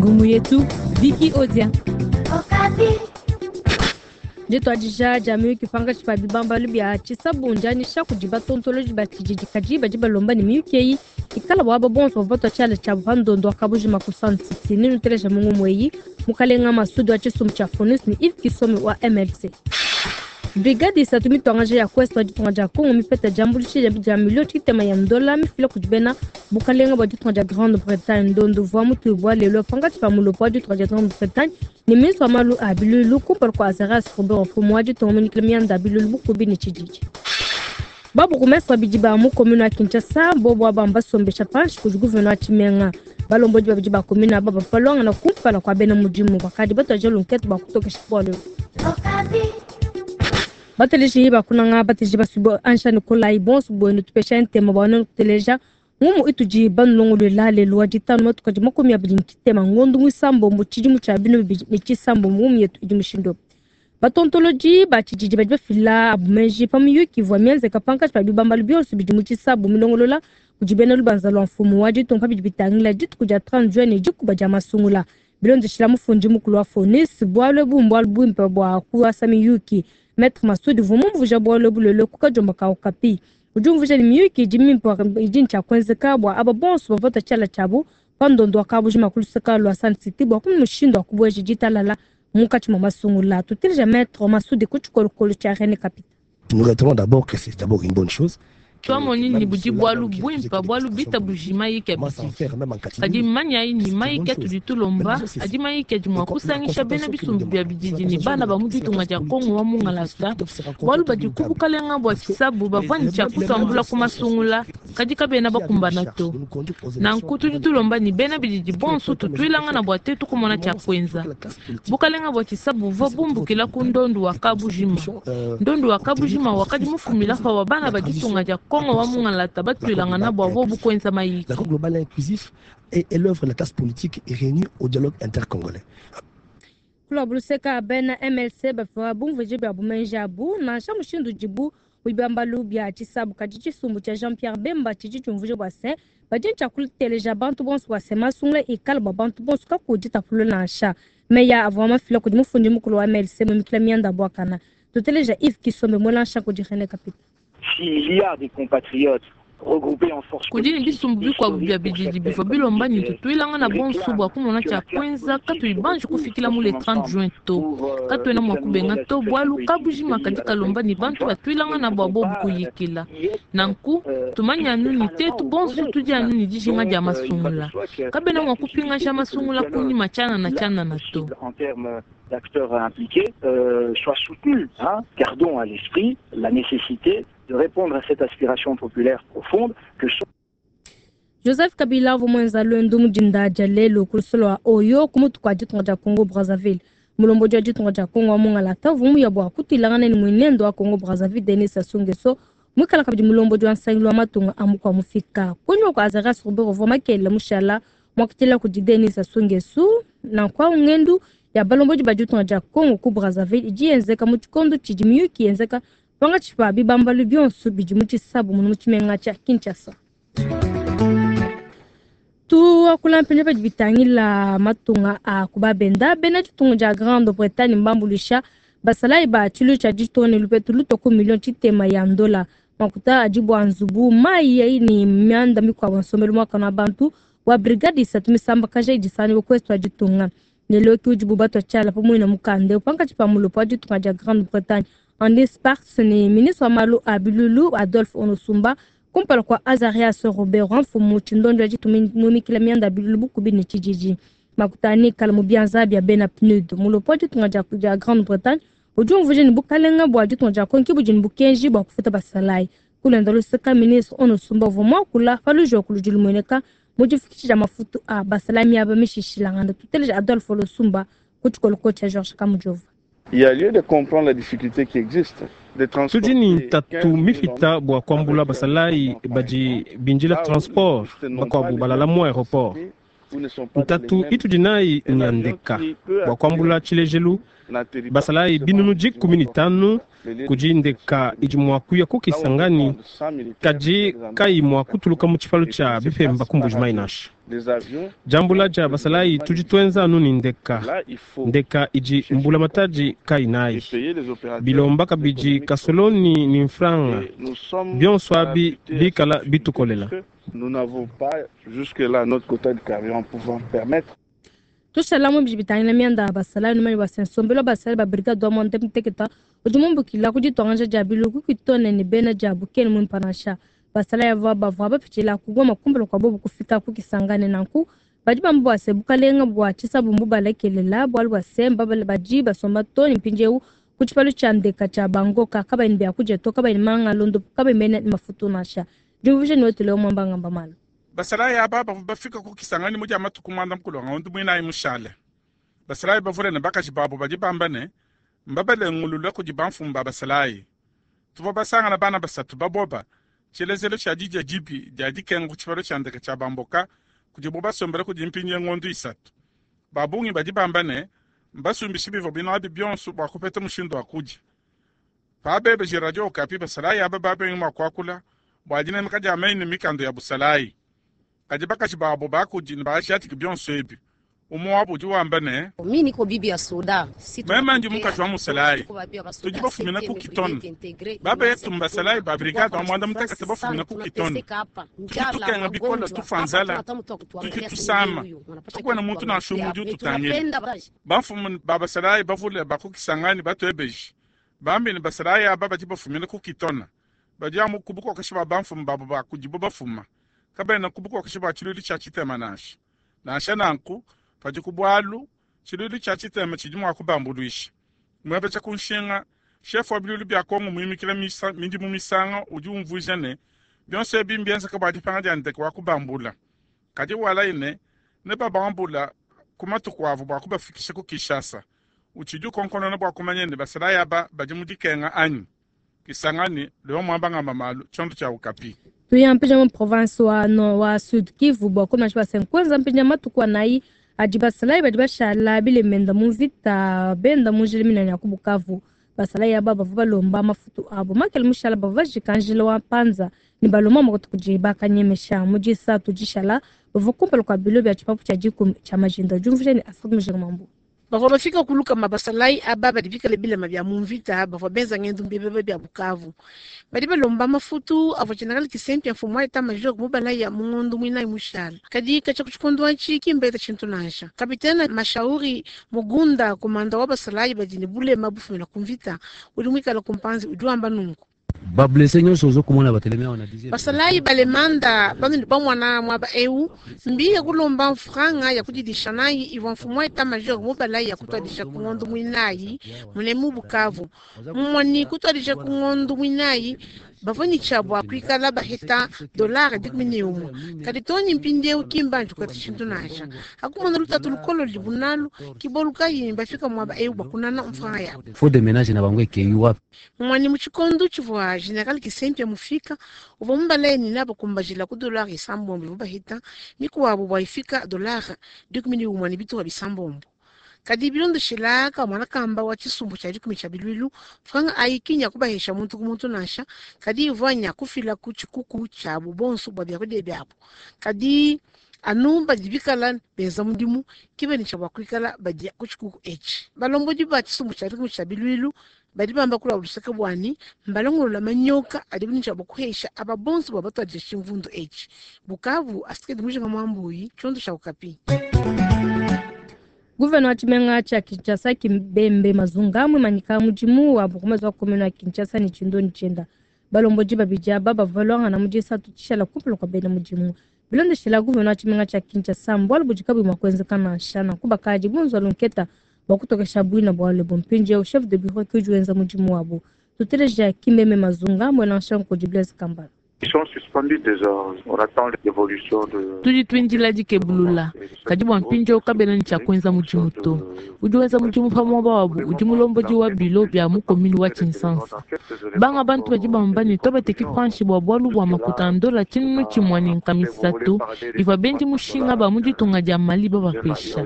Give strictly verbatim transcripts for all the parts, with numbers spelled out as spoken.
Ngumu yetu Vicky Odia. Dituadija dia miyuki pankatshi pa bibambalu bia tshisabu ndianyisha kudi batontolodi ba tshididi, kadi badi balomba ne miyuki eyi ikala bua aba bonso bavua batua tshiala tshiabu pa ndondo wa kabujima ku Sun City. Nenuteleja mu ngumu eyi Mukalenga Masudi wa tshisumbu tshia Fonus ne Yves Kisome wa M L C. Brigade isatu mituangaja ya Quest wa ditunga dia Congo mipeta diambuluisha dia milio tshitema ya ndola mifila kudi bena bukalenga bua ditunga dia Grande-Bretagne. Ndondo uvua mutuibua lelo pankatshi pa mulopo wa ditunga dia Grande-Bretagne ne ministre wa malu a bilulu kumpala kua Azarias Ruberwa, mfumu wa ditunga munyikile mianda ya bilulu bukubi ne tshididi. Babourgmestre babidi ba mu commune wa Kinshasa bobo aba mbasombesha panshi kudi gouverneur wa Tshimenga. Balombodi babidi ba commune aba bapalwangana kumpala kua bena mudimu bakadi batuadija lunkete bua kutokesha bualu ebu. Bateleji bakunanga bateleji basubo Ansha Nikolai bonso bwenu tupesha ntema bwa nenu kuteleja ngumu itudi banulongolwela lelo wa ditanu matuku adi makumi abidi ne tshitema ngondu muisambombo tshidimu tshia binu bibidi ne tshisambombo ngumu yetu idi mushindu. Batontolodi ba tshididi badi bafila abu meji pa miyuki ivua mienzeka pankatshi pa bibambalu bionso bidi mu tshisabu milongolola kudi bena lubanza lua mfumu wa ditunga pa bidi bitangila dituku dia trente juin ne dikuba dia masungula. Bilondeshila mufundi mukulu wa Fonis, bualu ebu mbualu buimpe bua kuasa miyuki. Maître Masudi uvua mumvuija bualu ebu lelo ku kadiomba ka Okapi. Udi umvuija ne miyuki idi mimpe idi ne tshia kuenzeka bua aba bonso bavua batua tshiala tshiabu pa ndondo wa kabujima ku luseka lua Sun City bua kumona mushindu wa kubueja ditalala munkatshi mua masungula. Tuteleja Maître Masudi ku tshikolokolo tshia René Kapita. Nous retenons d'abord que c'est d'abord une bonne chose. Twamoni ni budi bwalu bwimpa bwalu bita bujima yike bidi. Kadi manya yi ni mayike tudi tulomba, adi mayike adi mua kusangisha bena bisumbu bia bididi ne bana ba mu ditunga dia Kongo wa Mungalata. Bwalu badi ku bukalenga bua tshisabu bavua ne tshia kutambula ku masungula, kadi kabena bakumbana to. Nanku tudi tulomba ni bena bididi bonso tutuilangana bua tetu kumona tshia kuenza. Bukalenga bua tshisabu buvua bumbukila ku ndondu wa kabujima. Ndondu wa kabujima wakadi mufumila pa wa bana ba ditunga dia Kongo wa Mungalata batuilangana bua bobu kuenza mayiki. L'accord global inclusif est, est l'œuvre de la classe politique réunie au dialogue intercongolais. Kula buluseka bena M L C bavua bumvuije bia bumenji abu nansha mushindu udibu bibambalu bia tshisabu kadi tshisumbu tshia Jean-Pierre Bemba tshidi tshiumvuije bua se badi tshia kuteleja bantu bonso bua se masungula ikala bua bantu bonso kakudi tapulu nansha. Meya avua mafila kudi mufundi mukulu wa M L C mumikila mianda buakana. Tuteleja Yves Kisombe mwelancha kudi René Kapita. S'il y a des compatriotes regroupés en force Kudi ne bisumbu bikuabu bia bididi bivua bilomba ne tutuilangana bonso bua kumona tshia kuenza katuyi banji kufikila mu le trente juin to. Katuena mua kubenga to bualu kabujima kadi kalomba ne bantu batuilangana bua bobu kuyikila. Nanku tumanya anu ne tetu bonso tudi anu ne dijinga dia masungula. Kabena mua kupingaja masungula kunyima tshianana tshianana to. En termes d'acteurs impliqués, euh, soient soutenus, hein. Gardons à l'esprit la nécessité de répondre à cette aspiration populaire profonde que sont Joseph Kabila vumwenza lwendo mudinda dia lelo ku lusolo wa Oyo ku mutu kwa ditunga dia Congo Brazzaville. Mulombodi wa ditunga dia Congo wa Mungalata vumuya bua kutuilangana ne mwenendo wa Congo Brazzaville Denis Sassou Nguesso mwikala kabidi mulombodi wa nsangilu wa matunga a mukua mufika. Kunyima kua Azarias Ruberwa uvua makele mushala mwakutila kudi Denis Sassou Nguesso na kwa ngendu ya balombodi ba ditunga dia Congo ku Brazzaville idi yenzeka mu tshikondo tshidi miyuki yenzeka pankatshi pa bibambalu bionso bidi mu tshisabu muno mu tshimenga tshia Kinshasa. Tuakula mpindieu badi bitangila matunga a kubabenda bena ditunga dia Grande-Bretagne mbambuluisha basalayi ba tshilu tshia ditunga ne lupetu lutua ku million tshitema ya ndola. Makuta adi bua nzubu mayi ayi ne mianda mikuabu nsombelu muakane wa bantu wa brigade isatu misambakaja idi sanibua ku est wa ditunga. Lelo ke udibu batua tshiala pamue na mukanda pankatshi pa mulopo wa ditunga dia Grande-Bretagne Andy Sparks ne ministre wa malu a bilulu Adolphe Onusumba kumpala kua Azarias Ruberwa mfumu tshindondo ya ditunga mumikila mianda ya bilulu bukubi ne tshididi. Makuta ani kala mu bianza bia bena P N U D. Mulopo wa ditunga dia, dia Grande-Bretagne udi umvuija ne bukalenga bua ditunga dia Kongo ke budi ne bukenji bua kufuta basalayi. Kulenda luseka ministre Onusumba uvua muakula pa lujoku ludi lumueneka mu difikisha dia mafutu a basalayi miaba mishishilangana. Tuteleja Adolphe Onosumba ku tshikoloko tshia Georges Kamujova. Il y a lieu de comprendre la difficulté qui existe. De transporter Tudi ni tatu quinze mille mifita hommes bua kuambula avec basalayi un badi transport. bindila Là où transport ils n'ont bakuabu pas les balala mu aéroport. capacités Ntatu itudi nayi nya ndeka bua kuambula tshilejelu basalayi binunu dikumi ne tanu kudi ndeka idi mua kuya ku Kisangani kadi kayi mua kutuluka mu tshipalu tshia bipemba ku Mbujimayi nansha. Diambula dia basalayi tudi tuenza anu ne ndeka, ndeka idi mbulamatadi kayi nayi. Bilomba kabidi kasoloni ne mfranga, bionso abi bikala bitukolela. Nous n'avons pas jusque-là notre quota de carburant pouvant permettre. Tushala mu bidi bitangila mianda ya basalayi numanyi bua se nsombelu wa basalayi ba brigade wa muanda muteketa udi mumbukila ku dituangaja dia biluku kitone ne bena dia bukeni muimpa nansha. Basalayi ava bavua bapitshila ku Goma kumpala kua bobu kufika ku Kisangani nanku badi bamba bua se bukalenga bua tshisabumbu balekelela bualu bua se mbabale badi basomba too ne mpindieu ku tshipalu tshia ndeka tshia Bangoka kabayi ne biakudia to kabayi ne manga londopu kabayi mene ne mafutu nansha. Diumvuija ne wetu leo mwamba ngamba malu. Basalayi aba bavua bafika ku Kisangani mu dia matuku muanda mukulu wa ngondo muinayi mushale. Basalayi bavule ne bakaji babo badi bamba ne mbabalengulule kudi bamfumu ba basalayi. Tuvua basangana bana basatu baboba tshilezelo tshia didia dibi dia dikenga ku tshipalu tshia ndeke tshia Bamboka kudibo basombele kudi mpindieu ngondo isatu. Ba bungi badi bamba ne mbasumbishe bivua binabi bionso bua kupeta mushindu wa kudia. Pabebeje Radio Okapi basalayi aba babengi mua kuakula bua dinemeka dia meyi ne mikando ya busalayi. Kadi bakaji babo bakudi ne bajadiki bionso ebi. Umwe wabo udi wamba ne meme ndi mukaji wa musalayi tudi bafumina ku Kitone. Babetu mbasalayi ba brigade wa muanda mutekete bafumina ku Kitone. Tudi tukenga bikola tufa nzala, tudi tusama, tukwena muntu nansha umwe udi ututangila. Bamfumu ba basalayi bavule ba ku Kisangani batuebeje bambi ne basalayi aba badi bafumina ku Kitone badi amu ku bukokeshi bua bamfumu babo ba kudibo bafuma kabena ku bukokeshi bua tshiluilu tshia tshitema nansha. Nansha nanku padi ku bualu tshiluilu tshia tshitema tshidi mua kubambuluisha. Muebeja ku nshinga chef wa biluilu bia Kongo muimikila misa, midimu misanga udi umvuija ne bionso ebi mbienzeka bua dipanga dia ndeke wa kubambula. Kadi walayi ne ne babambula ku matuku avo bua kubafikisha ku Kinshasa. Utshidi ukonkonona bua kumanya ne basalayi aba badi mu dikenga anyi. Kisangani leo mwamba ngamba malu tshiondo tshia Okapi. Tuya mpinja mu province wa no wa Sud Kivu bua kumanya basa nkwenza mpinja matuku anayi adi basalayi badi bashala bilemenda mu mvita benda mu njila minene ya ku Bukavu. Basalayi aba bavua balomba mafutu abo makele mushala bavua bajika njila wa Panza ne balomba makutu kudi bakanyemesha mu disatu dishala bavua kumpala kua bilo bia tshipapu tshia dikumi tshia majinda. Diumvuija ne Afrique Mujinga Mambu. Bavua bafika kuluka mabasalayi aba badi bikale bilema bia mu mvita bavua benza ngendo mbebebe bia Bukavu. Badi balomba mafutu avua general Kisempi mfumu wa état major mubala ya mu ngondo muinayi mushala. Kadi katshia ku tshikondo atshi kimbeta tshintu nansha. Kapitene Mashauri Mugunda komanda wa basalayi badi ne bulema bufumina ku mvita udi muikale ku mpanzi udi wamba nunku. Bablesse nyonso ozokomona batelemi awa na dixième. Basalayi balemanda banu bamwana mwaba eu mbiye kulomba mfranga ya kudidisha nayi ivua mfumu wa état major mubalayi ya kutwadisha ku ngondo muinayi munemu Bukavu. Mumwani kutwadisha ku ngondo muinayi bavua ne tshia bua kuikala baheta dollar dikumi ne umwe. Kadi toni mpindieu kimbanji kukata tshintu nansha. Hakumona lutatu lukolo libunalu kibolu kayi bafika mwaba eu bakunana mfranga yabo. Faut de ménage na bango ekeyi wapi. Mumwani mu tshikondo tshivua general Kisempi mufika uvua mubalaye ni nabo kumbajila ku dollar isambombo ivua bahita mikuabo bua ifika dollar dikumi ne umwe ne bitupa bisambombo. Kadi bilondeshela ka mwana kamba wa tshisumbu tshia dikumi tshia biluilu franga ayi kinya kubahesha muntu ku muntu nansha kadi ivua nya kufila ku tshikuku tshiabu bonso bua biakudia biabu. Kadi anu badi bikala benza mudimu kibeni tshia bua kuikala badia ku tshikuku etshi. Balombodi ba tshisumbu tshia dikumi tshia biluilu badi bamba kula luseke bwani mbalongolola manyoka adi bini tshia bua kuhesha aba bonso bua batuadije tshimvundu etshi. Bukavu asikedi mujinga mwambuyi tshiondo tshia Okapi. Gouverneur wa tshimenga tshia Kinshasa Kimbembe Mazunga mwimanyika mudimu wa bukumezi wa commune wa Kinshasa ne tshindoni tshienda. Balombodi babidi aba bavua balwangana mu disatu tshishala kumpala kua bena mudimu. Bilondeshela gouverneur wa tshimenga tshia Kinshasa mbualu budi kabuyi mua kuenzeka nansha nanku bakadi bunzua lunketa bua kutokesha buina bualu ebu. Mpindieu chef de bureau ke udi wenza mudimu wabu. Tuteleja Kimbembe Mazunga mwena nshanku kudi Blaise Kambala. Ils sont suspendus déjà. On attend l'évolution de... Tudi tuindila dikebulula kadi bua mpindieu kabena ne tshia kuenza mudimu to. Udi wenza mudimu pa muaba wabu udi mulombodi wa bilo bia mu commune wa Tshinsansa. Banga bantu badi bamba ne tobateki panshi bua bualu bua makuta a ndola tshinunu tshimue ne nkama isatu ivua bendi mushinga ba mu ditunga dia Mali babapesha.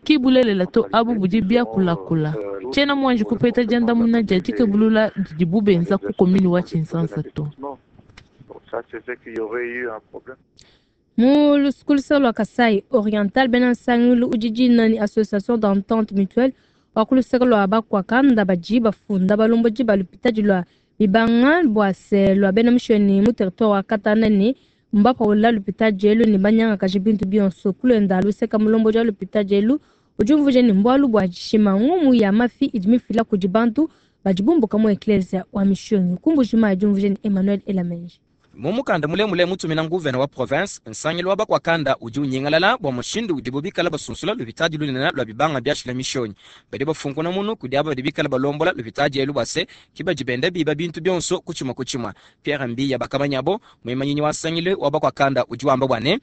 Ki bulelela to abu budi biakulakula. Tshiena muanji kupeta diandamuna dia dikebulula didibu benza ku commune wa Tshinsansa to. Ça, c'est qu'il y aurait eu un problème. Mu lusukulisa lua Kasai Oriental bena nsangilu udi nani association d'entente mutuelle wa kuluseka lua bakwakanda badi bafunda balombodi ba lupitadi lua bibanga bua se lua bena mishoni mu territoire wa Katana ne mbapaula lupitadi elu ne banyangakaji bintu bionso kulenda luseka mulombodi wa lupitadi elu udi umvuija ne mbualu bua dishima ngumu ya mafi idi mifila kudi bantu badi bumbuka mu eklesia wa mishoni kumbujima adi umvuija ne Emmanuel Elamenji. Mumukanda mulemule mutumina nguvena wa province nsangilu wa bakwakanda udi unyingalala bua mushindu udibu bikala basunsula lupitadi lunene lua bibanga biashila mishonyi badi bafunkuna munu kudi aba badi bikala balombola lupitadi elu bua se ki badi benda biba bintu bionso kutshimua kutshimua. Pierre Mbiya bakamanyabo muimanyinyi wa nsangilu wa bakwakanda udi wamba bua ne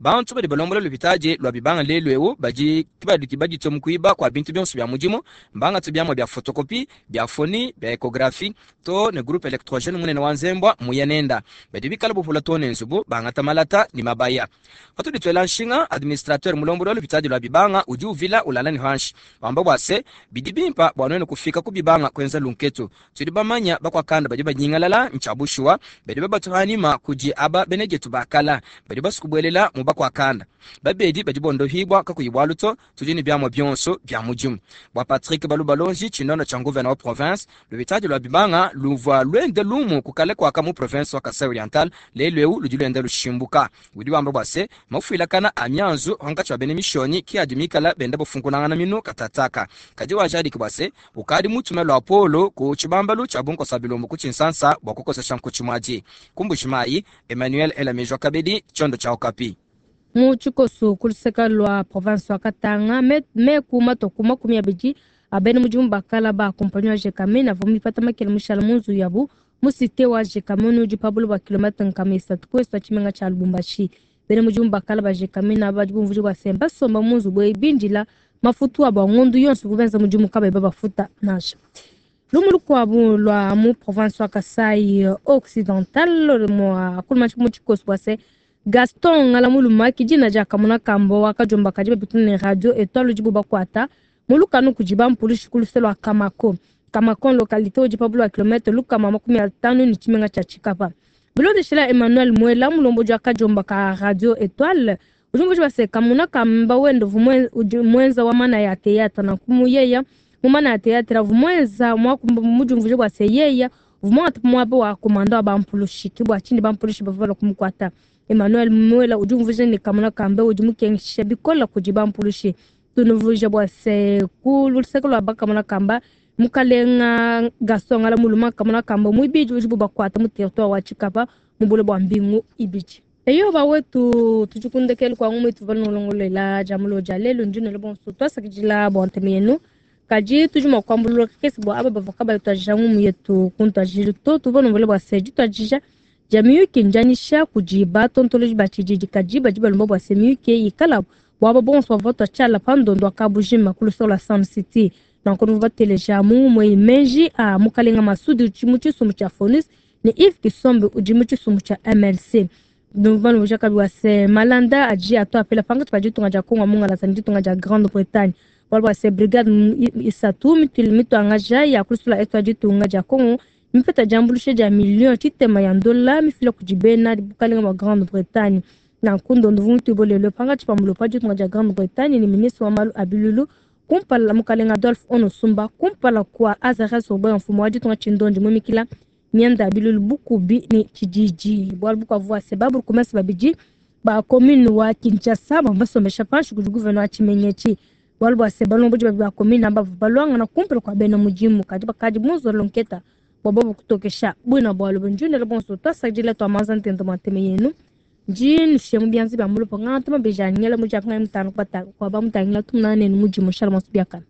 bantu badi balombola lupitadi lua bibanga lelu eu badi kibaduki baditue mu kuiba kua bintu bionso bia mudimu mbangatu biamua bia photocopie bia foni bia ecographie to ne groupe électrogène munene wa nzembwa muyanenda badi bikala bupula to ne nzubu bangata malata ni mabaya. Patudi tuela nshinga administrateur mulomboli wa lupitadi lua bibanga udi uvila ulala ne hanshi wamba bua se bidi bimpa bua nuenu kufika ku bibanga kuenza lunketu tudi bamanya bakwakanda badi banyingalala nchabushuwa badi babatuhanima kudi aba benejetu bakala badi basukubuelela mu bakwakanda babedi badi bondohibwa kakuyibwa luto tudi ne biamua bionso bia mudimu. Bua Patrick Balubalonji tshinono tshia nguvena wa province lupitadi lua bibanga luvua luende lumu kukale kwaka mu province wa Kasai Oriental lelu eu ludi luende lushimbuka udi wamba bua se mafuilakana a mianzu hankatshi wa bene mishoni ki adi mikala benda bafunkunangana minu katataka kadi wajadiki bua se ukadi mutume lua polo ku tshibambalu tshia bunkosa bilumbu ku Tshinsansa bua kukosesha nkutshimwadi kumbujimayi Emmanuel Elamejwa kabedi tshiondo tshia Okapi. Mu tshikoso kuluseka lua province wa Katanga meku matoku makumi abidi abene mudimu bakala ba kompani wa Gécamines avua mipata makele mushala mu nzubu yabu mu cité wa Gécamines udi pa buloba bua kilomètre nkama isatu ku est wa tshimenga tshia Lubumbashi. Bene mudimu bakala ba Gécamines aba badi bumvuija bua se basomba mu nzubu eyi bindila mafutu abo a ngondu yonso kubenza mudimu kabayi babafuta nansha. Lumu lukuabu lua mu province wa Kasai Occidental mua kuluma mu tshikoso bua se Gaston Ngalamuluma dina dia kamuna kambo wakajomba kadi bapituna ne radio Etoile udibu bakwata mulukanu kudi bampulushi ku luse lua Kamako. Kamako localité udi pa buloba kilomètre lukama makumi atanu ne tshimenga tshia Tshikapa. Bilondeshela Emmanuel Mwela mulombodi wa kajomba ka radio Etoile udi mvuji bua se kamuna kamba wende udi mwenza wa mana ya théâtre na kumuyeya mu mana ya théâtre avu mwenza mudi bua se yeya vumwata muaba wa komanda wa bampulushi ki bua tshindi bampulushi bavua balua kumukuata. Emmanuel Mwela udi umvuija ne kamuna kambe udi mukengesha bikola kudi bampulushi tunuvuija bua se ku luseke lua bakamuna kamba mukalenga Gaston Ngalamuluma kamuna kamba muibidi udi bubakuata mu territoire wa Tshikapa mu bule bua mbingu ibidi. Eyo bawetu tujikundekele kwa ngumu itu valnolongolela jamulo ja lelo ndinelo bonso twasakidila bua nteme yenu kadi tudi mua kuambulula kakese bua aba bavua kabayi tuajija ngumu yetu kuntuajili to tuvanovole bua se dituajija dia miyuki ndianyisha kudi batontoloji ba tshididi kadi badi balomba bua se miyuki ikala bua aba bonso bavua tuatshiala pa ndondo wa kabujima ku luseke lua Sun City. Nanku nuvua bateleja mu ngumu eyi menji a mukalenga Masudi udi mu tshisumbu tshia Fonus ne Yves Kisombe udi mu tshisumbu tshia M L C. Nuvua kabi wa se malanda adi atuapela pankatshi pa ditunga dia Kongo mungalasa ne ditunga dia Grande-Bretagne. Bualu bua se brigade isatu mituangaja ya kulusula etu ya ditunga dia Kongo mipeta diambuluisha dia million tshitema ya ndola mifila kudi bena bukalenga bua Grande-Bretagne. Nanku ndondo vumutuibolelo pankatshi pa mulopo wa ditunga dia Grande-Bretagne ne ministre wa malu a bilulu kumpala mukalenga Adolphe Onosumba kumpala kua Azarias Oboya mfumu wa ditunga tshindondi mumikila mianda bilulu bukubi ni tshididi. Bualu bukuavua se baburugumestre babidi ba commune wa Kinshasa bavua basombesha panshi kudi gouverneur wa tshimenga Bualu bua se balombodi babidi ba commune aba bavua baluangana kumpala kua bena mudimu kadi bakadi bunzolo nketa bua bobu kutokesha buina bualu bunjunela bonso twasakidila twamanza ntento mwa nteme yenu ndi nushiye mu bianza bia mulopo ngantuma beja ngela mu diakunga mutanu kwa ba mutangila tumunane ne mudimu shala monso biakana.